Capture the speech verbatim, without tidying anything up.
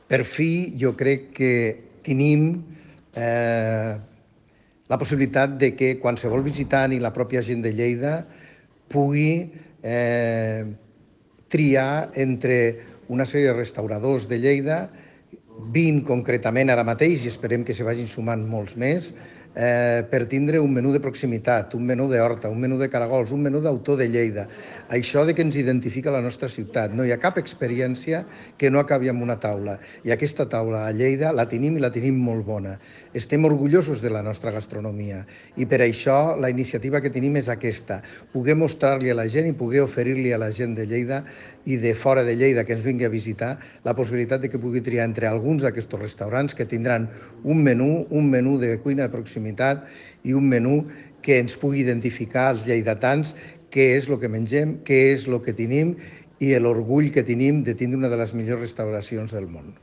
Per fi, jo crec que tenim eh, la possibilitat de que qualsevol visitant i la pròpia gent de Lleida pugui eh, triar entre una sèrie de restauradors de Lleida, vint concretament ara mateix, i esperem que se vagin sumant molts més, eh, per tindre un menú de proximitat, un menú d'horta, un menú de caragols, un menú d'autor de Lleida. Això de que ens identifica la nostra ciutat. No hi ha cap experiència que no acabi amb una taula. I aquesta taula a Lleida la tenim i la tenim molt bona. Estem orgullosos de la nostra gastronomia i per això la iniciativa que tenim és aquesta, poder mostrar-li a la gent i poder oferir-li a la gent de Lleida i de fora de Lleida que ens vingui a visitar la possibilitat de que pugui triar entre alguns d'aquests restaurants que tindran un menú, un menú de cuina de proximitat i un menú que ens pugui identificar als lleidatans què és el que mengem, què és el que tenim i l'orgull que tenim de tindre una de les millors restauracions del món.